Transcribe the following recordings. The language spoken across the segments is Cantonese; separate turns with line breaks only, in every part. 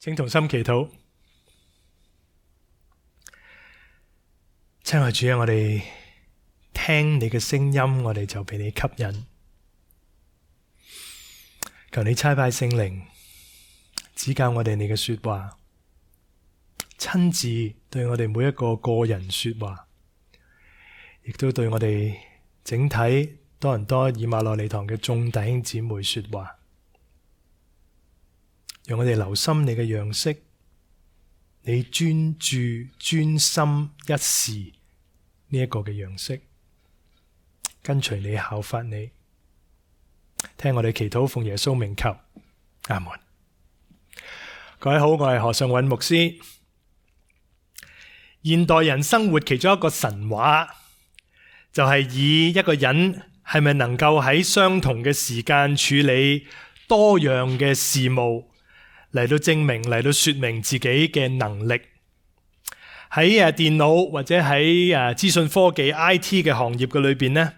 請同心祈禱。親愛主啊，我哋聽你嘅聲音，我哋就被你吸引。求你差派聖靈指教我哋你嘅說話，親自對我哋每一個個人說話，亦都對我哋整體多倫多以馬內利堂嘅眾弟兄姊妹說話，讓我哋留心你嘅樣式，你專注專心一事呢一個嘅樣式，跟隨你效法你。聽我哋祈禱，奉耶穌名求，阿門。各位好，我係何尚韻牧師。現代人生活其中一個神話，就係以一個人係咪能夠喺相同嘅時間處理多樣嘅事務嚟到證明，嚟到說明自己嘅能力。喺電腦或者喺資訊科技 IT 嘅行業嘅裏邊呢，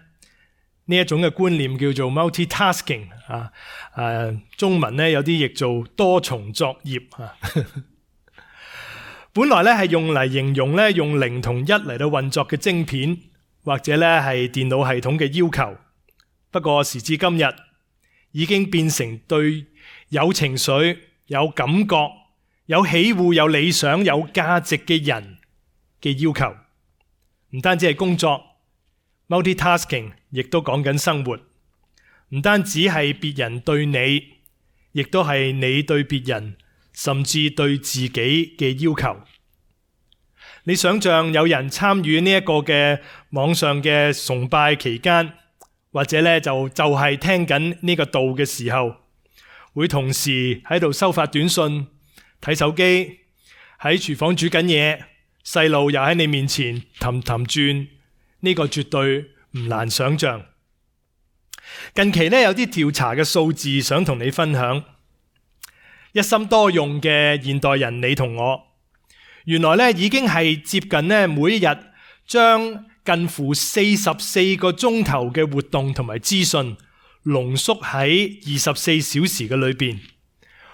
呢一種嘅觀念叫做 multitasking 中文呢有啲譯做多重作業本來咧係用嚟形容咧用0同1嚟到運作嘅晶片，或者咧係電腦系統嘅要求。不過時至今日，已經變成對有情緒、有感覺、有喜惡、有理想、有價值嘅人嘅要求。唔單止係工作 multitasking， 亦都講緊生活。唔單止係別人對你，亦都係你對別人，甚至對自己嘅要求。你想象有人參與呢一個嘅網上嘅崇拜期間，或者咧就係聽緊呢個道嘅時候，會同時喺度收發短信、睇手機，喺廚房煮緊嘢，細路又喺你面前氹氹轉，呢個絕對唔難想象。近期呢，有啲調查嘅數字想同你分享。一心多用嘅現代人你同我，原來呢已經係接近呢每一日將近乎44個鐘頭嘅活動同埋資訊濃縮喺24小時嘅裏邊。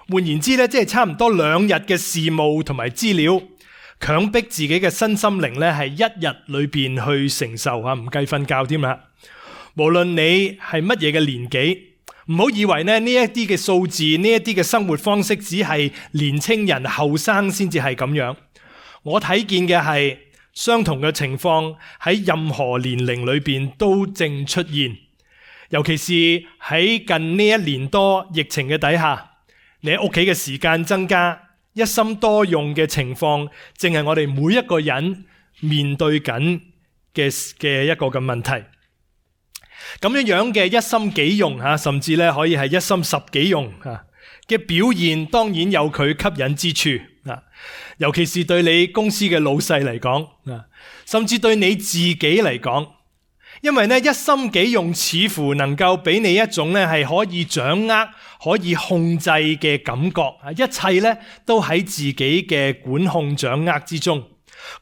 換言之呢，即係差唔多2日嘅事務同埋資料，強迫自己嘅身心靈呢係1日裏邊去承受唔計瞓覺添啦。無論你係乜嘢嘅年紀，唔好以為呢一啲嘅數字，呢一啲嘅生活方式只係年青人後生先至係咁樣。我睇見嘅係相同嘅情況喺任何年齡裏邊都正出現。尤其是喺近呢1年多疫情嘅底下，你喺屋企嘅時間增加，一心多用嘅情況，正係我哋每一個人面對緊嘅一個嘅問題。咁樣嘅一心幾用甚至咧可以係一心十幾用嘅表現，當然有佢吸引之處。尤其是對你公司嘅老細嚟講，甚至對你自己嚟講，因為呢一心幾用似乎能夠俾你一種咧係可以掌握、可以控制嘅感覺，一切咧都喺自己嘅管控掌握之中，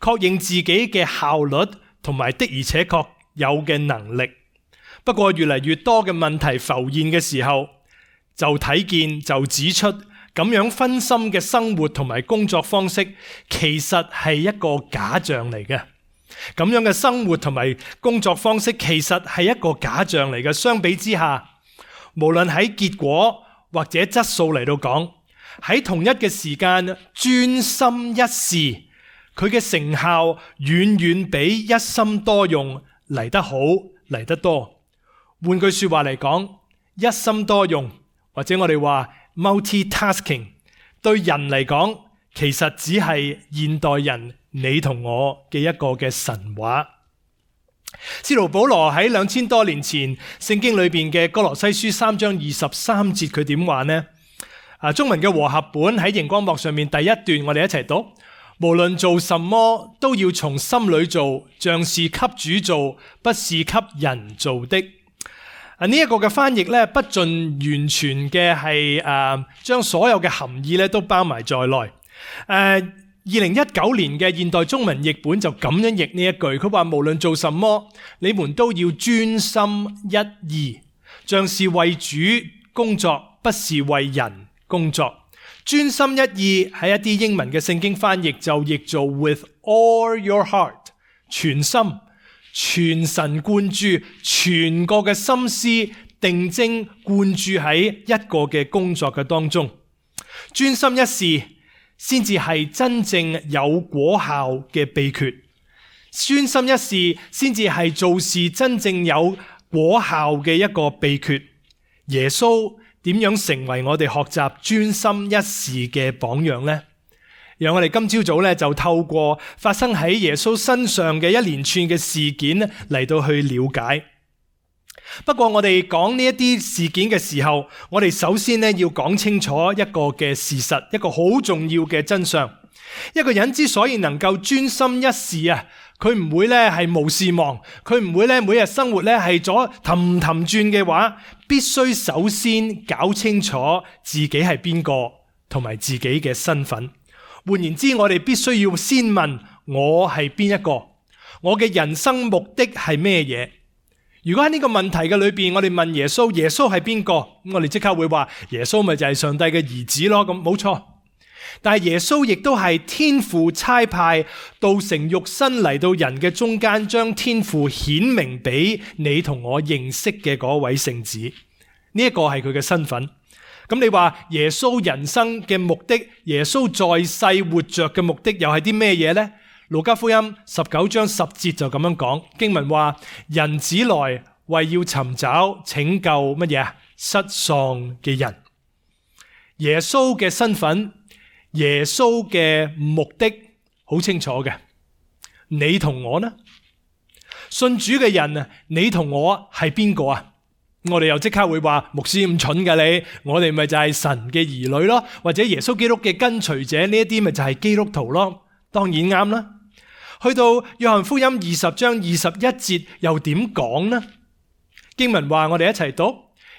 確認自己嘅效率同埋的而且確有嘅能力。不過越嚟越多嘅問題浮現嘅時候，就睇見就指出，咁樣分心嘅生活同埋工作方式，其實係一個假象嚟嘅。咁樣嘅生活同埋工作方式，其實係一個假象嚟嘅。相比之下，無論喺結果或者質素嚟到講，喺同一嘅時間專心一事，佢嘅成效遠遠比一心多用嚟得好，嚟得多。換句說話嚟講，一心多用或者我哋話 multitasking 對人嚟講，其實只係現代人你同我嘅一個嘅神話。使徒保羅喺2000多年前聖經裏邊嘅哥羅西書3章23節，佢點話呢？中文嘅和合本喺熒光幕上面第一段，我哋一齊讀：無論做什麼，都要從心裏做，像是給主做，不是給人做的。呢一個嘅翻譯咧，不盡完全嘅係將所有嘅含義咧都包埋在內。2019年嘅現代中文譯本就咁樣譯呢一句，佢話無論做什麼，你們都要專心一意，像是為主工作，不是為人工作，專心一意喺一啲英文嘅聖經翻譯就譯做 with all your heart， 全心、全神貫注、全個嘅心思定睛貫注喺一個嘅工作嘅當中。專心一事先至係真正有果效嘅秘訣，專心一事先至係做事真正有果效嘅一個秘訣。耶穌點樣成為我哋學習專心一事嘅榜樣呢？讓我哋今朝早就透過發生喺耶穌身上嘅一連串嘅事件嚟到去了解。不過我哋講呢一啲事件嘅時候，我哋首先要講清楚一個嘅事實，一個好重要嘅真相。一個人之所以能夠專心一事啊，佢唔會係無事忙，佢唔會每日生活係咗氹氹轉嘅話，必須首先搞清楚自己係邊個同埋自己嘅身份。換言之，我哋必須要先問我係邊一個，我嘅人生目的係咩嘢？如果喺呢個問題嘅裏邊，我哋問耶穌，耶穌係邊個？我哋即刻會話耶穌咪就係上帝嘅兒子咯。咁冇錯，但係耶穌亦都係天父差派道成肉身嚟到人嘅中間，將天父顯明俾你同我認識嘅嗰位聖子。呢一個係佢嘅身份。咁你話耶穌人生嘅目的，耶穌在世活着嘅目的又係啲咩嘢呢？路加福音19章10節就咁樣講，經文話：人子來為要尋找拯救乜嘢？失喪嘅人。耶穌嘅身份，耶穌嘅目的好清楚嘅。你同我呢？信主嘅人啊，你同我係邊個啊？我哋又即刻會話，牧師咁蠢㗎你，我哋咪就係神嘅兒女咯，或者耶穌基督嘅跟隨者，呢一啲咪就係基督徒咯。當然啱啦。去到約翰福音20章21節又點講呢？經文話，我哋一齊讀。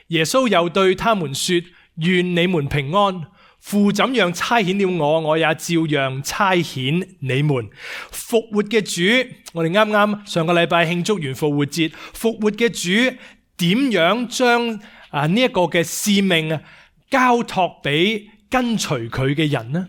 耶穌又對他們說：願你們平安。父怎樣差遣了我，我也照樣差遣你們。復活嘅主，我哋啱啱上個禮拜慶祝完復活節，復活嘅主點樣將呢一個嘅使命交託俾跟隨佢嘅人呢？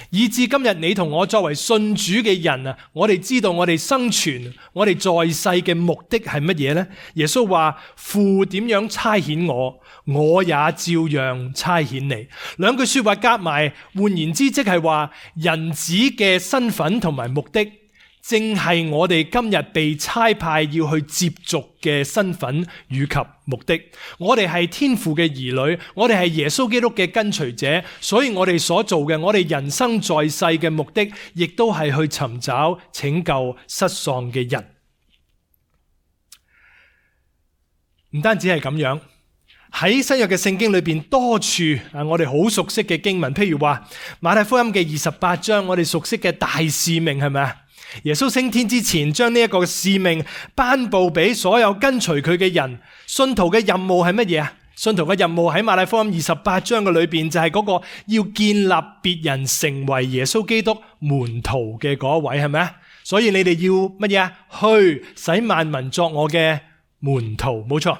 以至今日你同我作為信主嘅人啊，我哋知道我哋生存，我哋在世嘅目的係乜嘢呢？耶穌話：父點樣差遣我，我也照樣差遣你。兩句說話夾埋，換言之，即係話人子嘅身份同埋目的，正係我哋今日被差派要去接續嘅身份與及目的。我哋係天父嘅兒女，我哋係耶穌基督嘅跟隨者，所以我哋所做嘅，我哋人生在世嘅目的，亦都係去尋找拯救失喪嘅人。唔單止係咁樣，喺新約嘅聖經裏邊多處我哋好熟悉嘅經文，譬如話馬太福音嘅28章，我哋熟悉嘅大使命係咪啊？耶穌升天之前，將呢一個使命頒布俾所有跟隨佢嘅人。信徒嘅任務係乜嘢啊？信徒嘅任務喺馬太福音28章嘅裏邊，就係嗰個要建立別人成為耶穌基督門徒嘅嗰位，係咪啊？所以你哋要乜嘢啊？去使萬民作我嘅門徒，冇錯。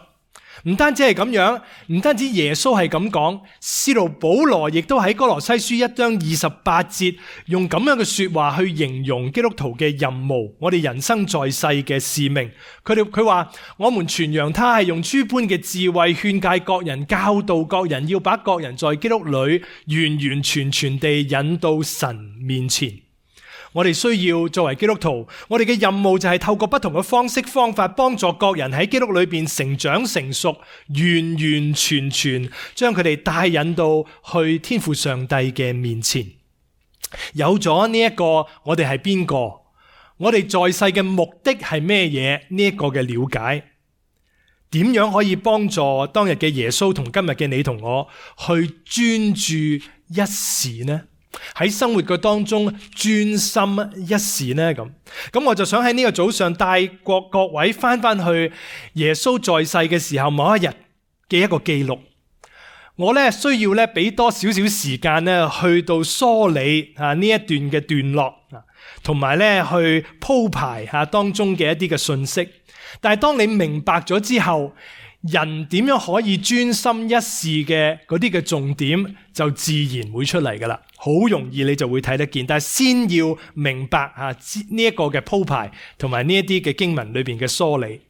唔單止係咁樣，唔單止耶穌係咁講，使徒保羅亦都喺哥羅西書1章28節用咁樣嘅說話去形容基督徒嘅任務，我哋人生在世嘅使命。佢話我們傳揚他係用諸般嘅智慧勸誡各人，教導各人，要把各人在基督裏完完全全地引到神面前。我哋需要作為基督徒，我哋嘅任務就係透過不同嘅方式方法，幫助各人喺基督裏邊成長成熟，完完全全將佢哋帶引到去天父上帝嘅面前。有咗呢一個，我哋係邊個？我哋在世嘅目的係咩嘢？呢一個嘅了解，點樣可以幫助當日嘅耶穌同今日嘅你同我去專注一時呢？喺生活嘅當中專心一時呢？咁我就想喺呢個早上帶各位翻去耶穌在世嘅時候某一日嘅一個記錄。我需要俾多少少時間去到梳理呢一段嘅段落，同埋去鋪排當中嘅一啲嘅信息。但係當你明白咗之後，人點樣可以專心一事嘅嗰啲嘅重點就自然會出嚟噶啦，好容易你就會睇得見。但係先要明白呢一個嘅鋪排同埋呢一啲嘅經文裏邊嘅梳理。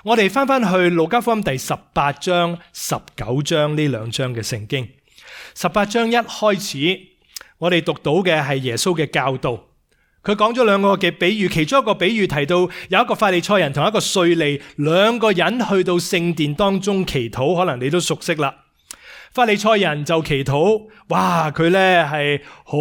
我哋翻去路加福音第18章、19章呢兩章嘅聖經。18章一開始，我哋讀到嘅係耶穌嘅教導。佢講咗兩個嘅比喻，其中一個比喻提到有一個法利賽人同一個稅吏，兩個人去到聖殿當中祈禱，可能你都熟悉啦。法利賽人就祈禱，哇！佢咧係好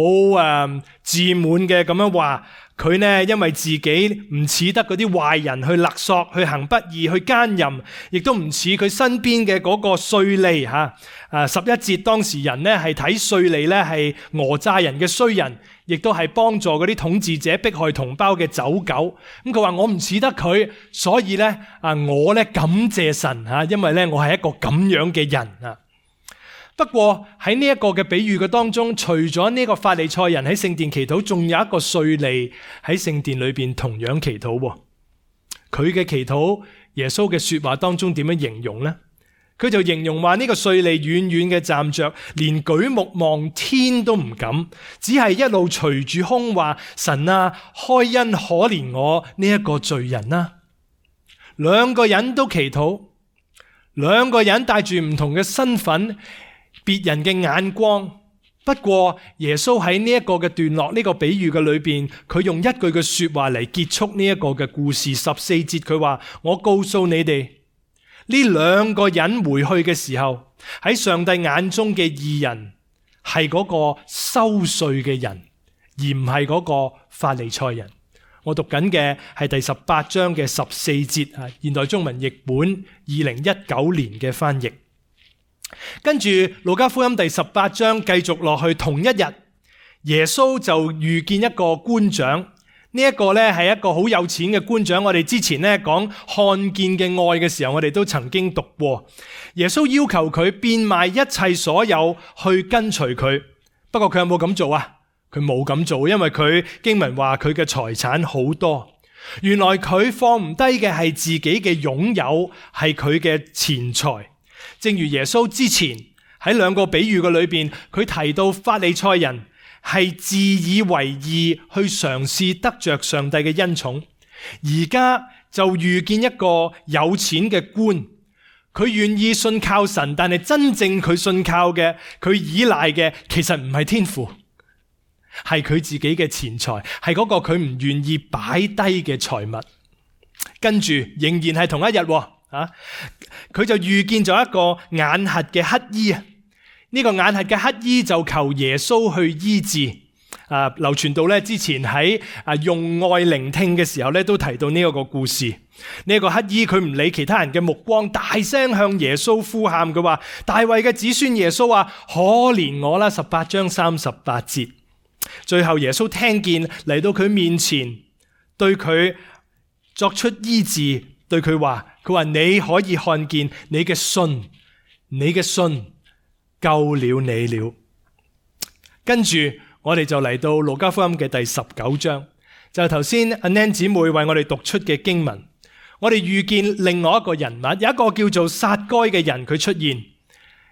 自滿嘅咁樣話，佢呢因為自己唔似得嗰啲壞人去勒索、去行不義、去奸淫，亦都唔似佢身邊嘅嗰個稅吏吓。11節當時人呢係睇稅吏呢係訛詐人嘅衰人，亦都係幫助嗰啲統治者迫害同胞嘅走狗。咁佢話我唔似得佢，所以呢我呢感謝神吓，因為呢我係一個咁樣嘅人啊。不過喺呢一個嘅比喻嘅當中，除咗呢個法利賽人喺聖殿祈禱，仲有一個稅吏喺聖殿裏邊同樣祈禱。佢嘅祈禱，耶穌嘅說話當中點樣形容呢？佢就形容話呢個稅吏遠遠嘅站着，連舉目望天都唔敢，只係一路捶住胸話：神啊，開恩可憐我呢一個罪人啊！兩個人都祈禱，兩個人帶住唔同嘅身份，別人嘅眼光。不過耶穌喺呢一個嘅段落，呢個比喻嘅裏邊，佢用一句嘅說話嚟結束呢一個嘅故事。14節佢話：我告訴你哋，呢兩個人回去嘅時候，喺上帝眼中嘅義人係嗰個收稅嘅人，而唔係嗰個法利賽人。我讀緊嘅係第18章嘅14節，現代中文譯本2019年嘅翻譯。跟住路加福音第18章繼續落去，同一日耶穌就遇見一個官長，呢一個咧係一個好有錢嘅官長。我哋之前咧講看見嘅愛嘅時候，我哋都曾經讀過，耶穌要求佢變賣一切所有去跟隨佢。不過佢有冇咁做啊？佢冇咁做，因為佢經文話佢嘅財產好多。原來佢放唔低嘅係自己嘅擁有，係佢嘅錢財。正如耶穌之前喺兩個比喻嘅裏邊，佢提到法利賽人係自以為義去嘗試得着上帝嘅恩寵，而家就遇見一個有錢嘅官，佢願意信靠神，但係真正佢信靠嘅，佢依賴嘅其實唔係天父，係佢自己嘅錢財，係嗰個佢唔願意擺低嘅財物。跟住仍然係同一日佢就遇見咗一個眼瞎嘅乞衣啊！呢個眼瞎嘅乞衣就求耶穌去醫治。流傳到咧之前喺用愛聆聽嘅時候咧，都提到呢一個故事。呢個乞衣佢唔理其他人嘅目光，大聲向耶穌呼喊，佢話：大衛嘅子孫耶穌啊，可憐我啦！18章38節。最後耶穌聽見嚟到佢面前，對佢作出醫治，對佢話。佢話你可以看見，你嘅信救了你了。跟住我哋就嚟到路加福音嘅第19章，就係頭先阿 Nan 姊妹為我哋讀出嘅經文。我哋遇見另外一個人物，有一個叫做撒該嘅人，佢出現。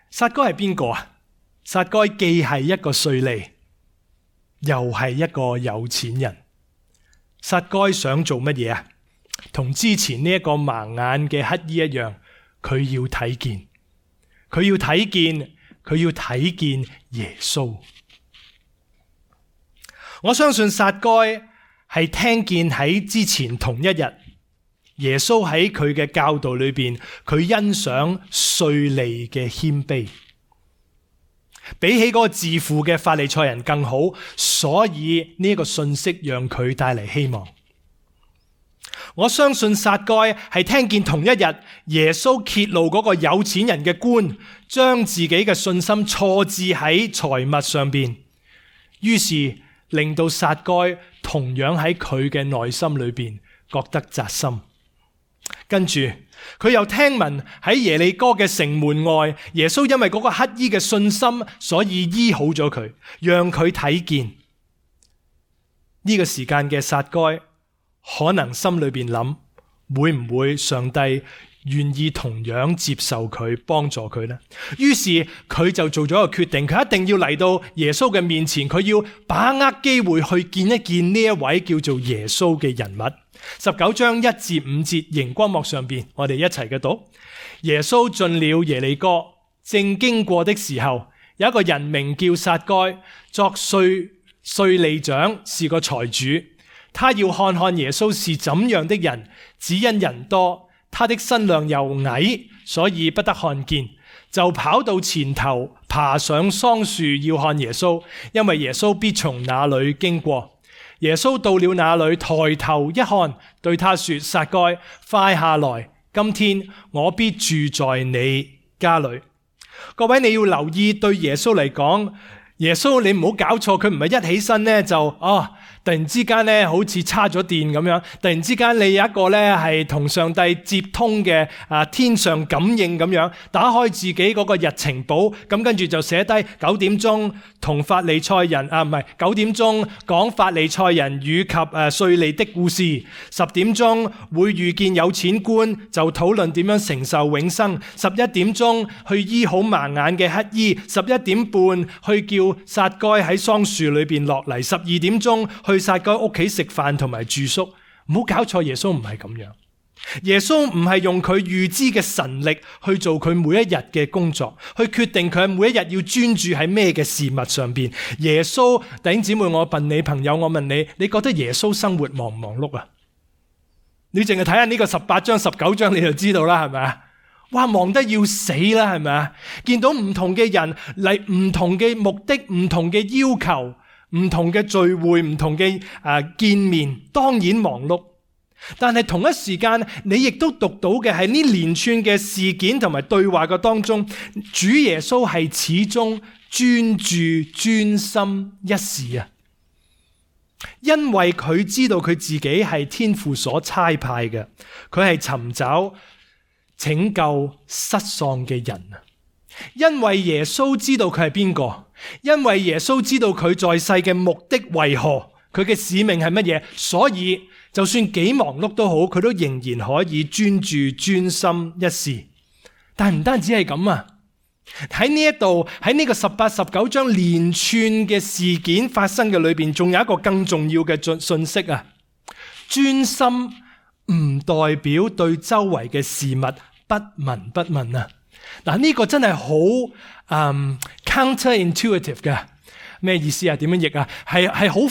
撒該係邊個啊？撒該既係一個稅吏，又係一個有錢人。撒該想做乜嘢啊？同之前呢一個盲眼嘅乞衣一樣，佢要睇見，佢要睇見耶穌。我相信撒該係聽見喺之前同一日，耶穌喺佢嘅教導裏邊，佢欣賞稅吏嘅謙卑，比起嗰個自負嘅法利賽人更好，所以呢個信息讓佢帶嚟希望。我相信撒該係聽見同一日耶穌揭露嗰個有錢人嘅官將自己嘅信心錯置喺財物上邊，於是令到撒該同樣喺佢嘅內心裏邊覺得扎心。跟住佢又聽聞喺耶利哥嘅城門外，耶穌因為嗰個乞衣嘅信心，所以醫好咗佢，讓佢睇見。呢個時間嘅撒該可能心裏邊諗，會唔會上帝願意同樣接受佢，幫助佢呢？於是佢就做咗一個決定，佢一定要嚟到耶穌嘅面前，佢要把握機會去見一見呢一位叫做耶穌嘅人物。19章1至5節熒光幕上邊，我哋一齊嘅讀。耶穌進了耶利哥，正經過的時候，有一個人名叫撒該，作稅吏長，是個財主。他要看看耶穌是怎樣的人，只因人多，他的身量又矮，所以不得看見，就跑到前頭，爬上桑樹要看耶穌，因為耶穌必從那裏經過。耶穌到了那裏，抬頭一看，對他說：撒該，快下來，今天我必住在你家裏。各位，你要留意，對耶穌嚟講，耶穌你唔好搞錯，佢唔係一起身呢就突然之間咧，好似叉咗電咁樣。突然之間，你有一個咧係同上帝接通嘅天上感應咁樣，打開自己嗰個日程簿，咁跟住就寫低9點鐘同法利賽人唔係9點鐘講法利賽人與及稅吏的故事。10點鐘會遇見有錢官，就討論點樣承受永生。11點鐘去醫好盲眼嘅乞衣。11點半去叫撒該喺桑樹裏邊落嚟。12點鐘去撒該屋企食飯同埋住宿。唔好搞錯，耶穌唔係咁樣。耶穌唔係用佢預知嘅神力去做佢每一日嘅工作，去決定佢每一日要專注喺咩嘅事物上邊。耶穌，弟兄姊妹，我問你朋友，我問你，你覺得耶穌生活忙唔忙碌啊？你淨係睇下呢個18章19章你就知道啦，係咪啊？哇，忙得要死啦，係咪啊？見到唔同嘅人嚟，唔同嘅目的，唔同嘅要求，唔同嘅聚會，唔同嘅見面，當然忙碌。但係同一時間，你亦都讀到嘅係呢連串嘅事件同埋對話嘅當中，主耶穌係始終專注專心一事啊！因為佢知道佢自己係天父所差派嘅，佢係尋找拯救失喪嘅人啊！因為耶穌知道佢係邊個，因為耶穌知道佢在世嘅目的為何，佢嘅使命係乜嘢，所以就算幾忙碌都好，佢都仍然可以專注專心一事。但唔單止係咁啊！喺呢一度，喺呢個18、19章連串嘅事件發生嘅裏邊，仲有一個更重要嘅信息啊！專心唔代表對周圍嘅事物不聞不問啊！嗱，呢個真係好counterintuitive 嘅。咩意思啊？點樣譯啊？係好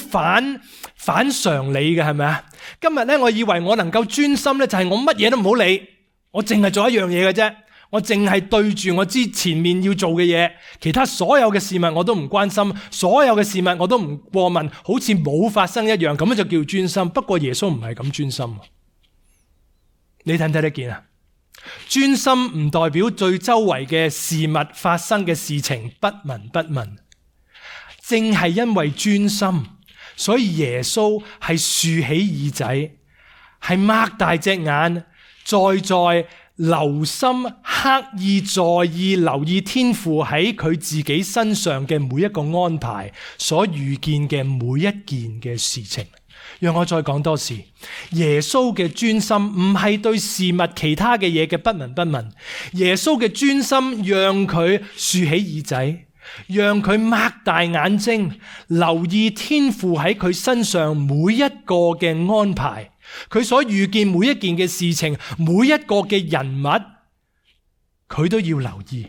反常理嘅，係咪啊？今日咧，我以為我能夠專心咧，就係我乜嘢都唔好理，我淨係做一樣嘢嘅啫。我淨係對住我知前面要做嘅嘢，其他所有嘅事物我都唔關心，所有嘅事物我都唔過問，好似冇發生一樣，咁就叫專心。不過耶穌唔係咁專心，你睇唔睇得見啊？專心唔代表對周圍嘅事物發生嘅事情不聞不問，正係因為專心，所以耶穌係豎起耳仔，係擘大隻眼，在留心刻意在意留意天父喺佢自己身上嘅每一個安排，所遇見嘅每一件嘅事情。讓我再講多次，耶穌嘅專心唔係對事物其他嘅嘢嘅不聞不問，耶穌嘅專心讓佢豎起耳仔，讓佢擘大眼睛，留意天父喺佢身上每一個嘅安排。佢所遇見每一件嘅事情，每一個嘅人物，佢都要留意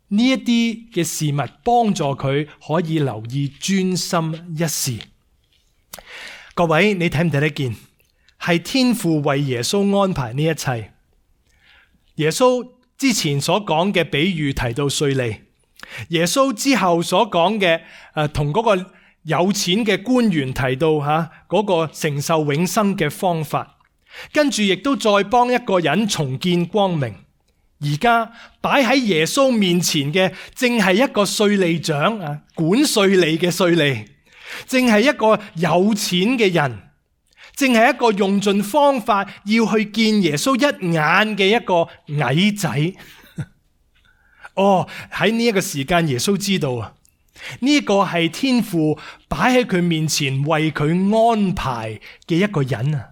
呢一啲嘅事物，幫助佢可以留意專心一事。各位，你睇唔睇得見？係天父為耶穌安排呢一切。耶穌之前所講嘅比喻提到稅吏，耶穌之後所講嘅同嗰個有錢嘅官員提到嗰個承受永生嘅方法，跟住亦都再幫一個人重見光明。而家擺喺耶穌面前嘅，正係一個稅吏長管稅吏嘅稅吏，正係一個有錢嘅人，正係一個用盡方法要去見耶穌一眼嘅一個矮仔。喺呢一個時間，耶穌知道啊，呢個係天父擺喺佢面前為佢安排嘅一個人啊！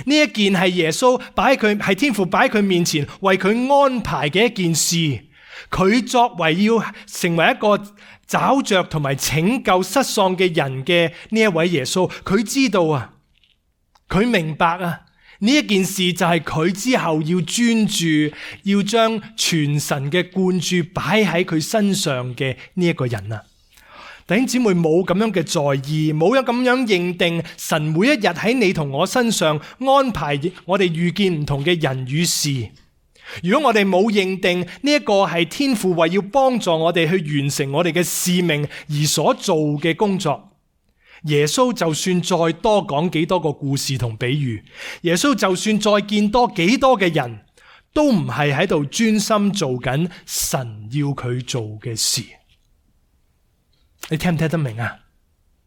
呢一件係耶穌係天父擺喺佢面前為佢安排嘅一件事。佢作為要成為一個找着同埋拯救失喪嘅人嘅呢一位耶穌，佢知道啊，佢明白啊，呢一件事就係佢之後要專注，要將全神嘅灌注擺喺佢身上嘅呢一個人啊。弟兄姊妹，冇咁樣嘅在意，冇有咁樣認定神每一日喺你同我身上安排我哋遇見唔同嘅人與事。如果我哋冇認定呢一個係天父為要幫助我哋去完成我哋嘅使命而所做嘅工作，耶穌就算再多講幾多個故事同比喻，耶穌就算再見多幾多嘅人，都唔係喺度專心做緊神要佢做嘅事。你聽唔聽得明啊？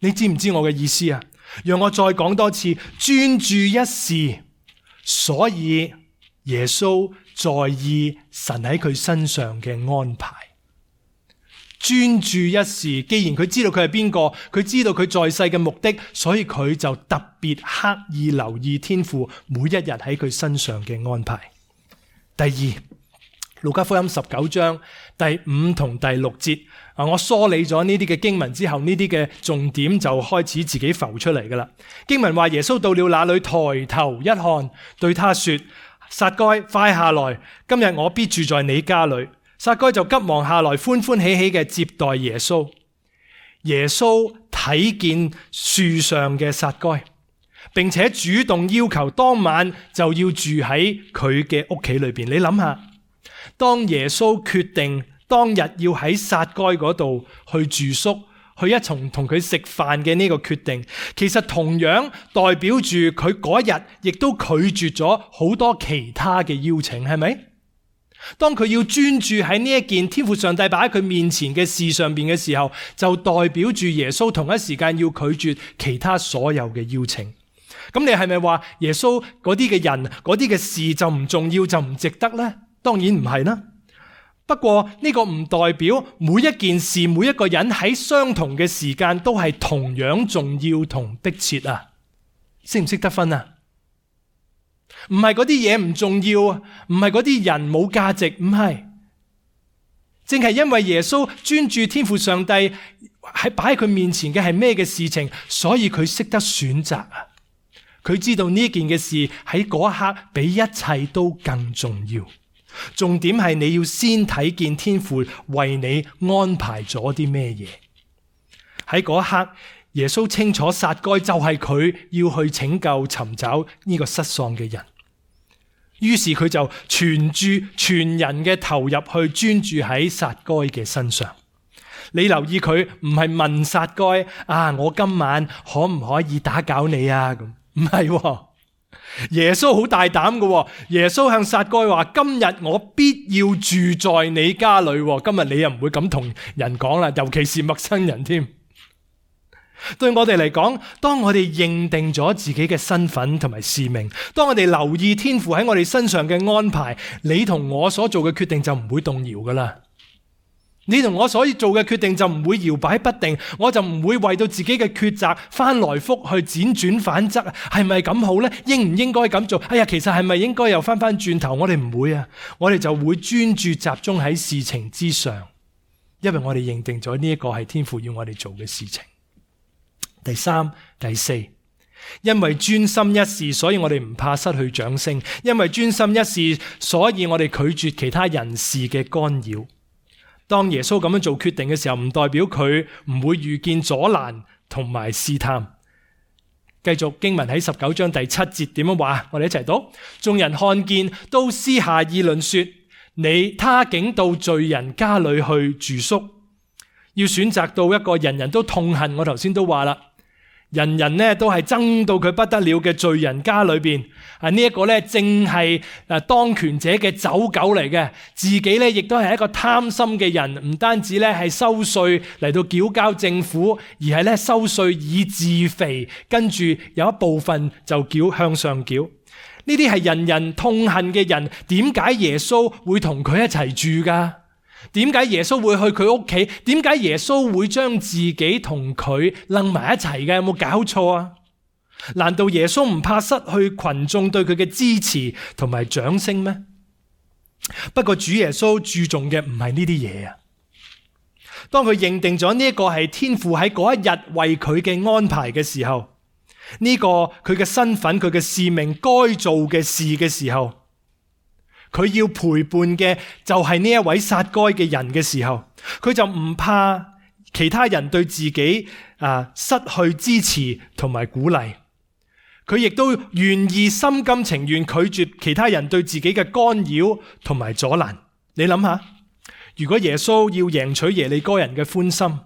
你知唔知我嘅意思啊？讓我再講多次，專注一事，所以耶穌在意神喺佢身上嘅安排。專注一事，既然佢知道佢係邊個，佢知道佢在世嘅目的，所以佢就特別刻意留意天父每一日喺佢身上嘅安排。第二，路加福音19章第5同第6節，我梳理咗呢啲嘅經文之後，呢啲嘅重點就開始自己浮出嚟噶啦。經文話耶穌到了那裏，抬頭一看，對他說：撒該，快下來，今日我必住在你家裏。撒該就急忙下來，歡歡喜喜嘅接待耶穌。耶穌睇見樹上嘅撒該，並且主動要求當晚就要住喺佢嘅屋企裏邊。你諗下，當耶穌決定當日要喺撒該嗰度去住宿，去一同同佢食飯嘅呢個決定，其實同樣代表住佢嗰日亦都拒絕咗好多其他嘅邀請，係咪？當佢要專注喺呢一件天父上帝擺喺佢面前嘅事上邊嘅時候，就代表住耶穌同一時間要拒絕其他所有嘅邀請。咁你係咪話耶穌嗰啲嘅人、嗰啲嘅事就唔重要，就唔值得呢？當然唔係啦。不過呢個唔代表每一件事、每一個人喺相同嘅時間都係同樣重要同迫切啊。識唔識得分啊？唔係嗰啲嘢唔重要，唔係嗰啲人冇價值，唔係。正係因為耶穌專注天父上帝喺擺喺佢面前嘅係咩嘅事情，所以佢識得選擇啊。佢知道呢件嘅事喺嗰一刻比一切都更重要。重點係你要先睇見天父為你安排咗啲咩嘢。喺嗰一刻，耶穌清楚撒該就係佢要去拯救尋找呢個失喪嘅人，於是佢就全人嘅投入去專注喺撒該嘅身上。你留意佢唔係問撒該啊，我今晚可唔可以打攪你啊？咁唔係，耶穌好大膽嘅。耶穌向撒該話：今日我必要住在你家裏。今日你又唔會咁同人講啦，尤其是陌生人添。對我哋嚟講，當我哋認定咗自己嘅身份同埋使命，當我哋留意天父喺我哋身上嘅安排，你同我所做嘅決定就唔會動搖噶啦。你同我所做嘅決定就唔會搖擺不定，我就唔會為到自己嘅抉擇翻來覆去輾轉反側，係咪咁好呢？應唔應該咁做？哎呀，其實係咪應該又翻轉頭？我哋唔會啊，我哋就會專注集中喺事情之上，因為我哋認定咗呢一個係天父要我哋做嘅事情。第三、第四，因為專心一事，所以我哋唔怕失去掌聲；因為專心一事，所以我哋拒絕其他人事嘅干擾。當耶穌咁樣做決定嘅時候，唔代表佢唔會遇見阻攔同埋試探。繼續經文喺19章第7節點樣話？我哋一齊讀：眾人看見，都私下議論說：他竟到罪人家裏去住宿。要選擇到一個人人都痛恨，我頭先都話啦，人人呢都係憎到佢不得了嘅罪人家裏邊，呢一個呢正係當權者嘅走狗嚟嘅，自己呢亦都係一個貪心嘅人，唔單止呢係收稅嚟到繳交政府，而係呢收稅以自肥，跟住有一部分就向上繳。呢啲係人人痛恨嘅人，點解耶穌會同佢一齊住噶？點解耶穌會去佢屋企？點解耶穌會將自己同佢楞埋一齊嘅？有冇搞錯啊？難道耶穌唔怕失去群眾對佢嘅支持同埋掌聲咩？不過主耶穌注重嘅唔係呢啲嘢啊。當佢認定咗呢一個係天父喺嗰一日為佢嘅安排嘅時候，呢個佢嘅身份、佢嘅使命、該做嘅事嘅時候，佢要陪伴嘅就係呢一位撒該嘅人嘅時候，佢就唔怕其他人對自己失去支持同埋鼓勵，佢亦都願意心甘情願拒絕其他人對自己嘅干擾同埋阻攔。你諗下，如果耶穌要贏取耶利哥人嘅歡心，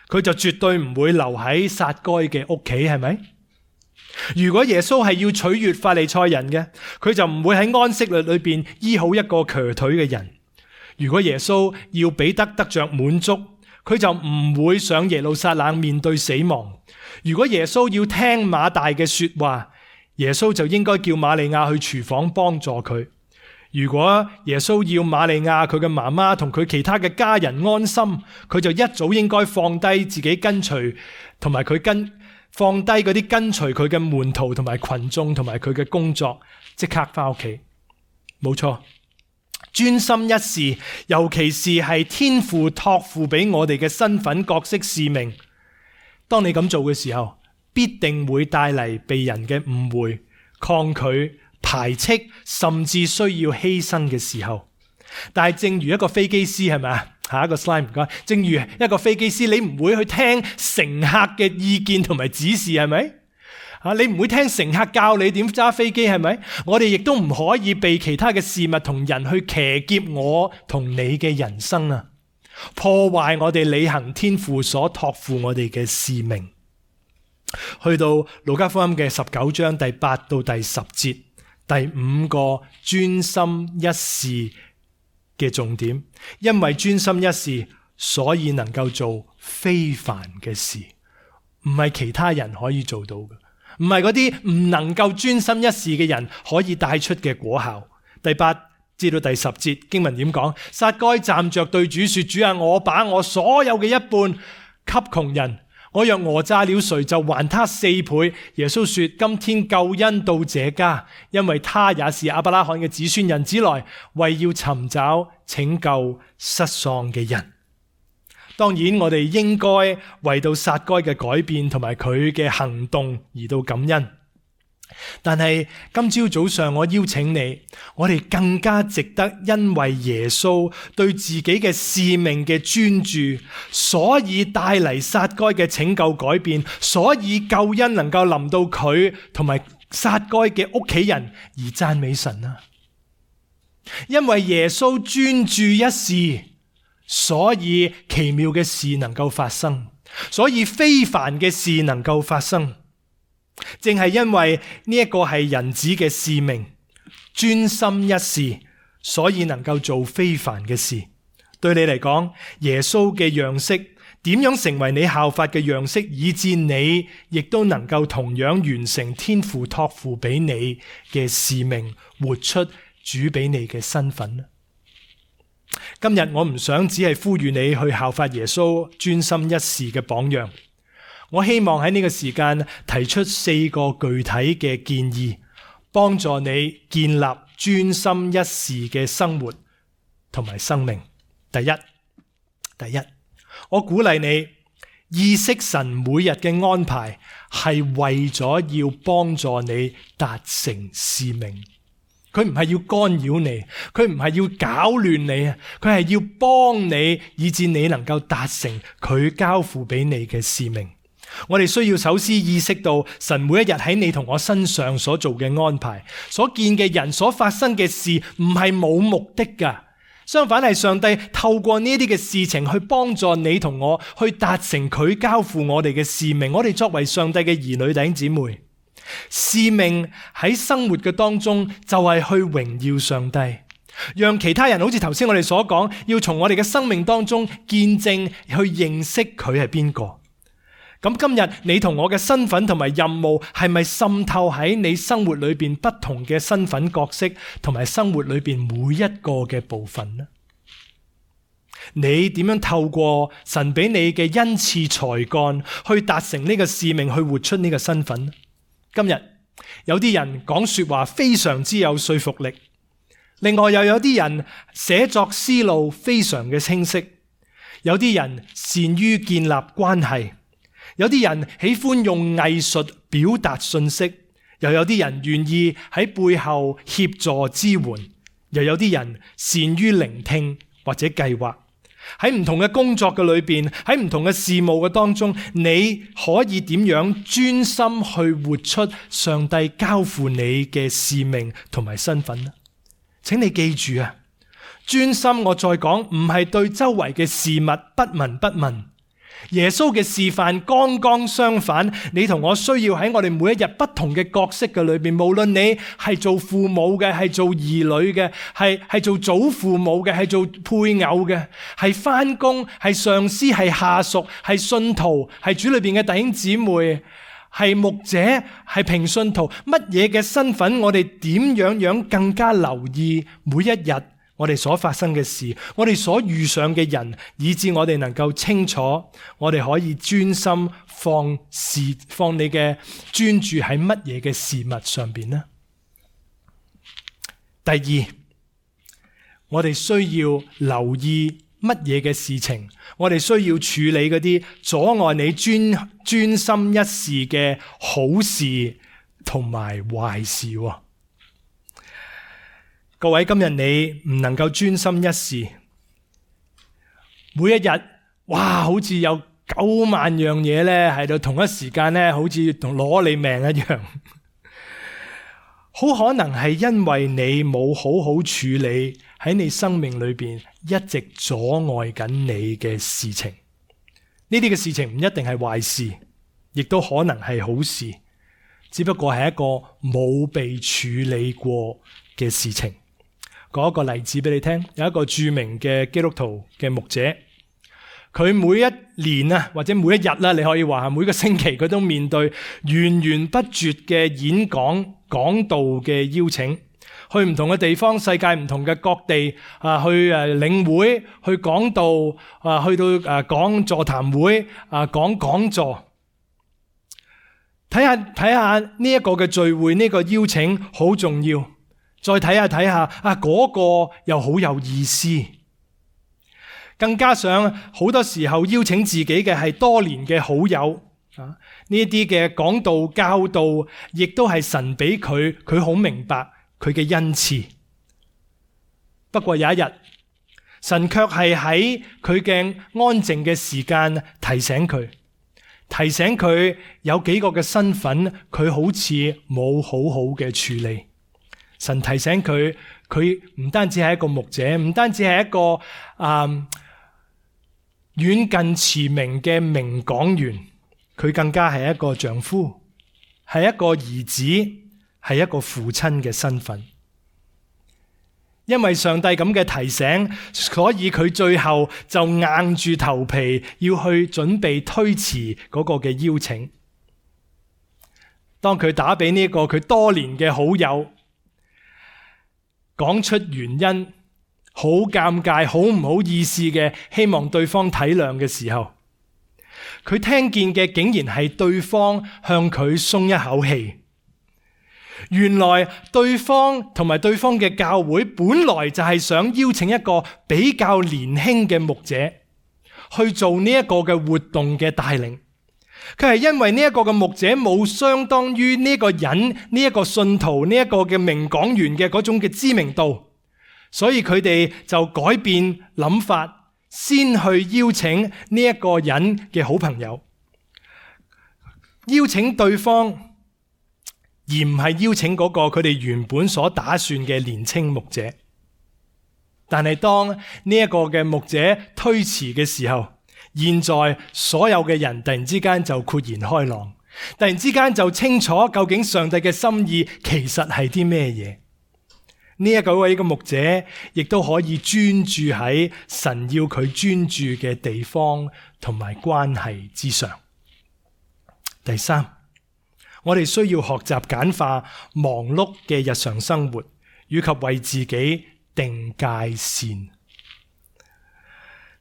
佢就絕對唔會留喺撒該嘅屋企，係咪？如果耶穌係要取悅法利賽人嘅，佢就唔會喺安息日裏邊醫好一個瘸腿嘅人。如果耶穌要彼得得着滿足，佢就唔會上耶路撒冷面對死亡。如果耶穌要聽馬大嘅說話，耶穌就應該叫瑪利亞去廚房幫助佢。如果耶穌要瑪利亞佢嘅媽媽同佢其他嘅家人安心，佢就一早應該放低自己跟隨同埋放低嗰啲跟隨佢嘅門徒同埋群眾同埋佢嘅工作，即刻翻屋企。冇錯，專心一事，尤其是係天父託付俾我哋嘅身份、角色、使命。當你咁做嘅時候，必定會帶嚟被人嘅誤會、抗拒、排斥，甚至需要犧牲嘅時候。但係正如一個飛機師，係咪啊？下一個 slide 唔該。正如一個飛機師，你唔會去聽乘客嘅意見同埋指示，係咪？你唔會聽乘客教你點揸飛機，係咪？我哋亦都唔可以被其他嘅事物同人去騎劫我同你嘅人生啊！破壞我哋履行天父所託付我哋嘅使命。去到路加福音嘅19章第8到第10節，第5個專心一事嘅重點，因為專心一事，所以能夠做非凡嘅事，唔係其他人可以做到嘅，唔係嗰啲唔能夠專心一事嘅人可以帶出嘅果效。第8至到第10節經文點講？撒該站着對主說：主啊，我把我所有嘅一半給窮人，我若訛詐了誰，就還他4倍。耶穌說：今天救恩到這家，因為他也是亞伯拉罕嘅子孫，人子來為要尋找拯救失喪嘅人。當然我哋應該為到撒該嘅改變同埋佢嘅行動而到感恩。但係今朝早上我邀請你，我哋更加值得因為耶穌對自己嘅使命嘅專注，所以帶嚟撒該嘅拯救改變，所以救恩能夠臨到佢同埋撒該嘅屋企人而讚美神啊！因為耶穌專注一事，所以奇妙嘅事能夠發生，所以非凡嘅事能夠發生。正係因為呢一個係人子嘅使命，專心一事，所以能夠做非凡嘅事。對你嚟講，耶穌嘅樣式點樣成為你效法嘅樣式，以致你亦都能夠同樣完成天父託付俾你嘅使命，活出主俾你嘅身份呢？今日我唔想只係呼籲你去效法耶穌專心一事嘅榜樣。我希望喺呢個時間提出4個具體嘅建議，幫助你建立專心一事嘅生活同埋生命。第一，我鼓勵你意識神每日嘅安排係為咗要幫助你達成使命。佢唔係要干擾你，佢唔係要搞亂你啊，佢係要幫你，以致你能夠達成佢交付俾你嘅使命。我哋需要首先意識到神每一日喺你同我身上所做嘅安排，所見嘅人，所發生嘅事唔係冇目的噶，相反係上帝透過呢啲嘅事情去幫助你同我去達成佢交付我哋嘅使命。我哋作為上帝嘅兒女弟兄姊妹，使命喺生活嘅當中就係去榮耀上帝，讓其他人好似頭先我哋所講，要從我哋嘅生命當中見證去認識佢係邊個。咁今日你同我嘅身份同埋任務係咪滲透喺你生活裏邊不同嘅身份角色同埋生活裏邊每一個嘅部分呢？你點樣透過神俾你嘅恩賜才幹去達成呢個使命，去活出呢個身份呢？今日有啲人講說話非常之有說服力，另外又有啲人寫作思路非常嘅清晰，有啲人善於建立關係，有啲人喜歡用藝術表達信息，又有啲人願意喺背後協助支援，又有啲人善於聆聽或者計劃。喺唔同嘅工作嘅裏邊，喺唔同嘅事務嘅當中，你可以點樣專心去活出上帝交付你嘅使命同埋身份呢？請你記住啊，專心我再講，唔係對周圍嘅事物不聞不問。耶穌嘅示範剛剛相反，你同我需要喺我哋每一日不同嘅角色嘅裏邊，無論你係做父母嘅，係做兒女嘅，係做祖父母嘅，係做配偶嘅，係返工，係上司，係下屬，係信徒，係主裏邊嘅弟兄姊妹，係牧者，係平信徒，乜嘢嘅身份，我哋點樣更加留意每一日我哋所發生嘅事，我哋所遇上嘅人，以致我哋能夠清楚，我哋可以專心放你嘅專注喺乜嘢嘅事物上邊呢？第二，我哋需要留意乜嘢嘅事情，我哋需要處理嗰啲阻礙你專心一事嘅好事同埋壞事。各位，今日你唔能夠專心一事，每一日哇，好似有9萬樣嘢咧喺度同一時間咧，好似同攞你命一樣。好可能係因為你冇好好處理喺你生命裏邊一直阻礙緊你嘅事情。呢啲嘅事情唔一定係壞事，亦都可能係好事，只不過係一個冇被處理過嘅事情。講一個例子俾你聽，有一個著名嘅基督徒嘅牧者，佢每一年啊，或者每一日啦，你可以話每個星期佢都面對源源不絕嘅演講講道嘅邀請，去唔同嘅地方，世界唔同嘅各地去領會，去講道去到講座談會講講座。睇下呢一個嘅聚會，呢個邀請好重要。再睇下嗰個又好有意思，更加上好多時候邀請自己嘅係多年嘅好友呢一啲嘅講道教導，亦都係神俾佢好明白佢嘅恩賜。不過有一日，神卻係喺佢嘅安靜嘅時間提醒佢有幾個嘅身份，佢好似冇好好嘅處理。神提醒佢唔單止係一個牧者，唔單止係一個遠近馳名嘅名講員，佢更加係一個丈夫，係一個兒子，係一個父親嘅身份。因為上帝咁嘅提醒，所以佢最後就硬住頭皮要去準備推辭嗰個嘅邀請。當佢打俾呢個佢多年嘅好友，講出原因，好尷尬，好唔好意思嘅，希望對方體諒嘅時候，佢聽見嘅竟然係對方向佢鬆一口氣。原來對方同埋對方嘅教會本來就係想邀請一個比較年輕嘅牧者去做呢一個嘅活動嘅帶領。佢係因為呢一個嘅牧者冇相當於呢個人，呢一個信徒，呢一個嘅名講員嘅嗰種嘅知名度，所以佢哋就改變諗法，先去邀請呢一個人嘅好朋友，邀請對方，而唔係邀請嗰個佢哋原本所打算嘅年輕牧者。但係當呢一個嘅牧者推辭嘅時候，現在所有嘅人突然之間就豁然開朗，突然之間就清楚究竟上帝嘅心意其實係啲咩嘢。呢一位嘅牧者亦都可以專注喺神要佢專注嘅地方同埋關係之上。第三，我哋需要學習簡化忙碌嘅日常生活，以及為自己定界線。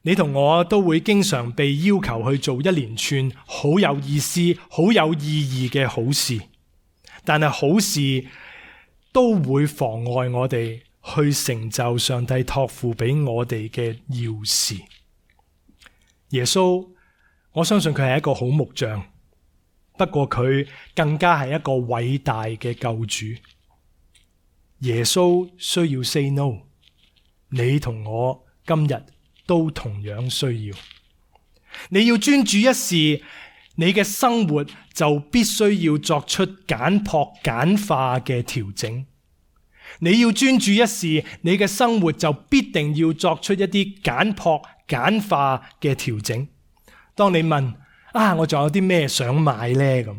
你同我都會經常被要求去做一連串好有意思、好有意義嘅好事。但係好事都會妨礙我哋去成就上帝託付俾我哋嘅要事。耶穌，我相信佢係一個好木匠，不過佢更加係一個偉大嘅救主。耶穌需要 say no， 你同我今日都同樣需要。你要專注一事，你嘅生活就必須要作出簡樸簡化嘅調整。你要專注一事，你嘅生活就必定要作出一啲簡樸簡化嘅調整。當你問我仲有啲咩想買呢？咁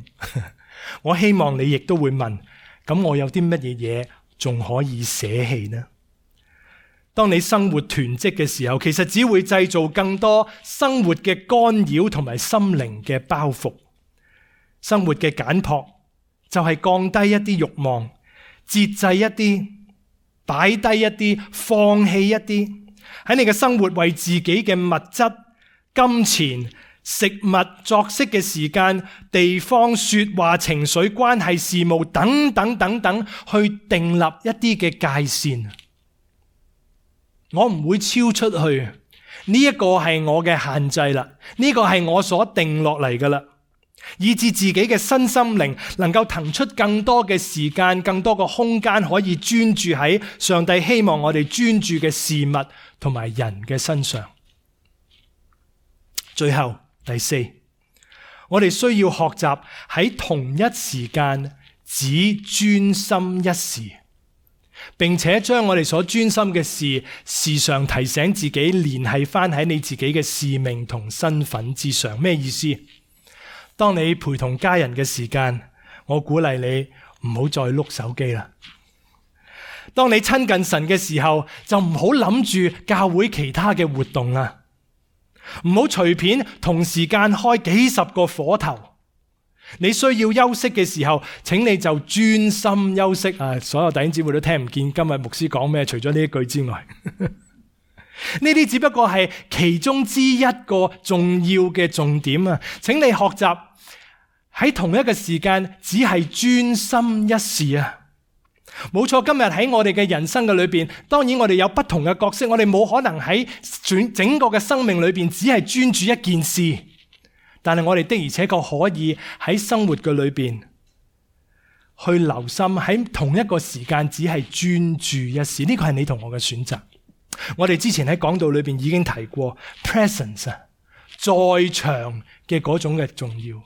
我希望你亦都會問，咁我有啲乜嘢嘢仲可以捨棄呢？當你生活囤積嘅時候，其實只會製造更多生活嘅干擾同埋心靈嘅包袱。生活嘅簡樸就係降低一啲慾望，節制一啲，擺低一啲，放棄一啲。喺你嘅生活為自己嘅物質、金錢、食物、作息嘅時間、地方、說話、情緒、關係、事務等等等等，去訂立一啲嘅界線。我唔會超出去，呢一個係我嘅限制啦，呢個係我所定落嚟噶啦，以致自己嘅身心靈能夠騰出更多嘅時間、更多嘅空間，可以專注喺上帝希望我哋專注嘅事物同埋人嘅身上。最後第四，我哋需要學習喺同一時間只專心一事，並且將我哋所專心嘅事時常提醒自己，聯繫翻喺你自己嘅使命同身份之上。咩意思？當你陪同家人嘅時間，我鼓勵你唔好再碌手機啦。當你親近神嘅時候，就唔好諗住教會其他嘅活動啦。唔好隨便同時間開幾十個火頭。你需要休息嘅時候，請你就專心休息。所有弟兄姊妹都聽唔見今日牧師講咩，除咗呢一句之外，呢啲只不過係其中之一個重要嘅重點啊！請你學習喺同一個時間只係專心一事啊！冇錯，今日喺我哋嘅人生嘅裏邊，當然我哋有不同嘅角色，我哋冇可能喺整個嘅生命裏邊只係專注一件事。但係我哋的而且確可以喺生活嘅裏邊去留心，喺同一個時間只係專注一事。呢個係你同我嘅選擇。我哋之前喺講道裏邊已經提過 presence 在場嘅嗰種嘅重要。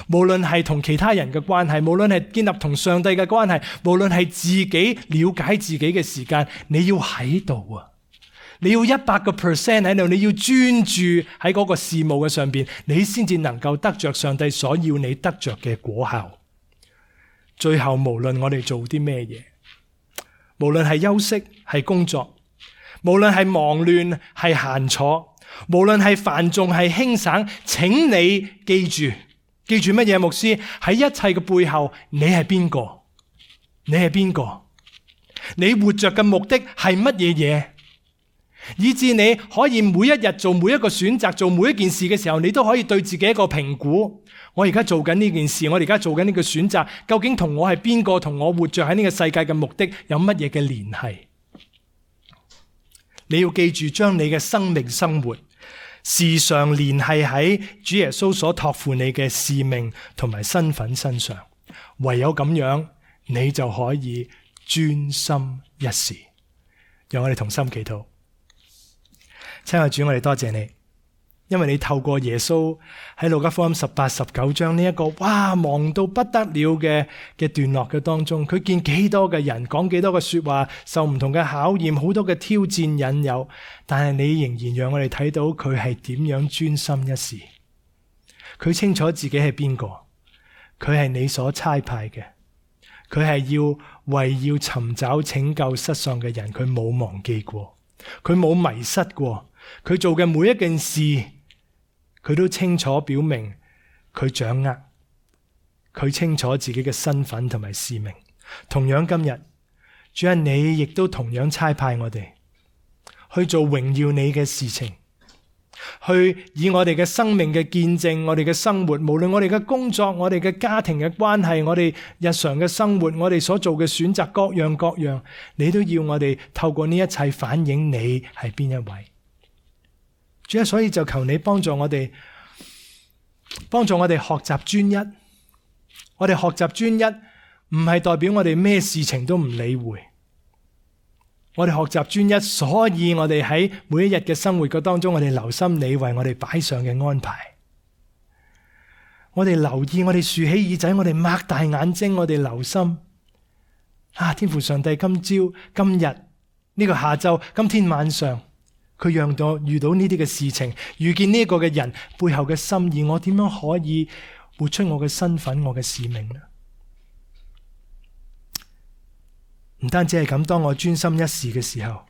無論係同其他人嘅關係，無論係建立同上帝嘅關係，無論係自己了解自己嘅時間，你要喺度啊！你要 100% 喺度，你要專注喺嗰個事務嘅上邊，你先至能夠得着上帝所要你得着嘅果效。最後，無論我哋做啲咩嘢，無論係休息係工作，無論係忙亂係閒坐，無論係繁重係輕省，請你記住乜嘢？牧師，喺一切嘅背後，你係邊個？你係邊個？你活着嘅目的係乜嘢嘢？以至你可以每一日做每一個選擇，做每一件事嘅時候，你都可以對自己一個評估。我而家做緊呢件事，我而家做緊呢個選擇，究竟同我係邊個，同我活着喺呢個世界嘅目的有乜嘢嘅聯繫？你要記住，將你嘅生命生活時常聯繫喺主耶穌所託付你嘅使命同埋身份身上。唯有咁樣，你就可以專心一事。讓我哋同心祈禱。親愛主，我哋多謝你，因為你透過耶穌喺路加福音18、19章呢一個忙到不得了嘅段落嘅當中，佢見幾多嘅人講幾多嘅說話，受唔同嘅考驗，好多嘅挑戰引誘，但係你仍然讓我哋睇到佢係點樣專心一事。佢清楚自己係邊個，佢係你所差派嘅，佢係為要尋找拯救失喪嘅人，佢冇忘記過，佢冇迷失過。佢做嘅每一件事，佢都清楚表明佢掌握，佢清楚自己嘅身份同埋使命。同樣今日，主啊，你亦都同樣差派我哋去做榮耀你嘅事情，去以我哋嘅生命嘅見證，我哋嘅生活，無論我哋嘅工作，我哋嘅家庭嘅關係，我哋日常嘅生活，我哋所做嘅選擇，各樣各樣，你都要我哋透過呢一切反映你係邊一位。主啊，所以就求你幫助我哋學習專一。我哋學習專一唔係代表我哋咩事情都唔理會。我哋學習專一，所以我哋喺每一日嘅生活嘅當中，我哋留心你為我哋擺上嘅安排。我哋留意，我哋豎起耳仔，我哋擘大眼睛，我哋留心。天父上帝，今朝、今日呢個下晝、今天晚上，佢讓我遇到呢啲嘅事情，遇見呢個嘅人背後嘅心意，我點樣可以活出我嘅身份、我嘅使命呢？唔單止係咁，當我專心一事嘅時候，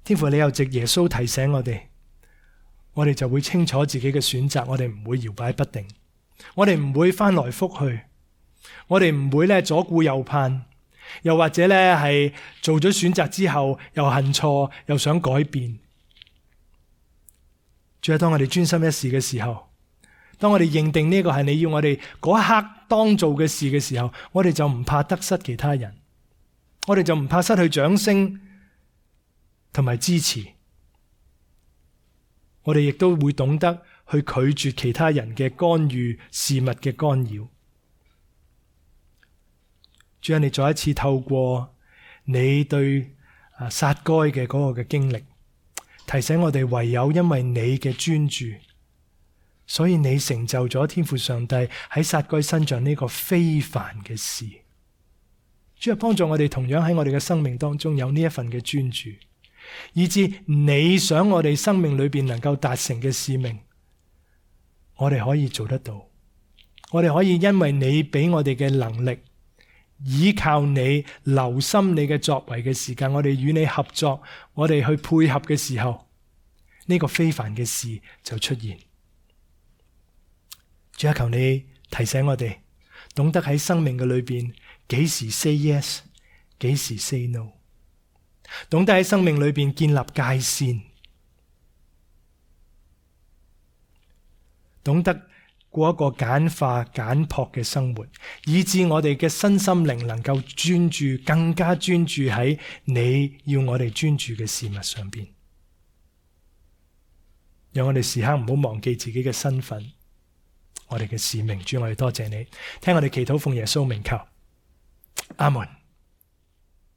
天父你又藉耶穌提醒我哋就會清楚自己嘅選擇，我哋唔會搖擺不定，我哋唔會翻來覆去，我哋唔會左顧右盼，又或者係做咗選擇之後又恨錯，又想改變。主要當我哋專心一事嘅時候，當我哋認定呢個係你要我哋嗰一刻當做嘅事嘅時候，我哋就唔怕得失其他人。我哋就唔怕失去掌聲同埋支持，我哋亦都會懂得去拒絕其他人嘅干預、事物嘅干擾。主啊，你再一次透過你對撒該嘅嗰個嘅經歷，提醒我哋唯有因為你嘅專注，所以你成就咗天父上帝喺撒該身上呢個非凡嘅事。主啊，幫助我哋同樣喺我哋嘅生命當中有呢一份嘅專注，以致你想我哋生命裏邊能夠達成嘅使命，我哋可以做得到。我哋可以因為你俾我哋嘅能力，依靠你，留心你嘅作為嘅時間，我哋與你合作，我哋去配合嘅時候，呢個非凡嘅事就出現。主啊，求你提醒我哋，懂得喺生命嘅裏邊幾時 say yes， 幾時 say no， 懂得喺生命裏邊建立界線，懂得過一個簡化簡樸嘅生活，以致我哋嘅身心靈能夠專注，更加專注喺你要我哋專注嘅事物上邊。讓我哋時刻唔好忘記自己嘅身份，我哋嘅使命。主，我哋多謝你，聽我哋祈禱，奉耶穌名求，阿門。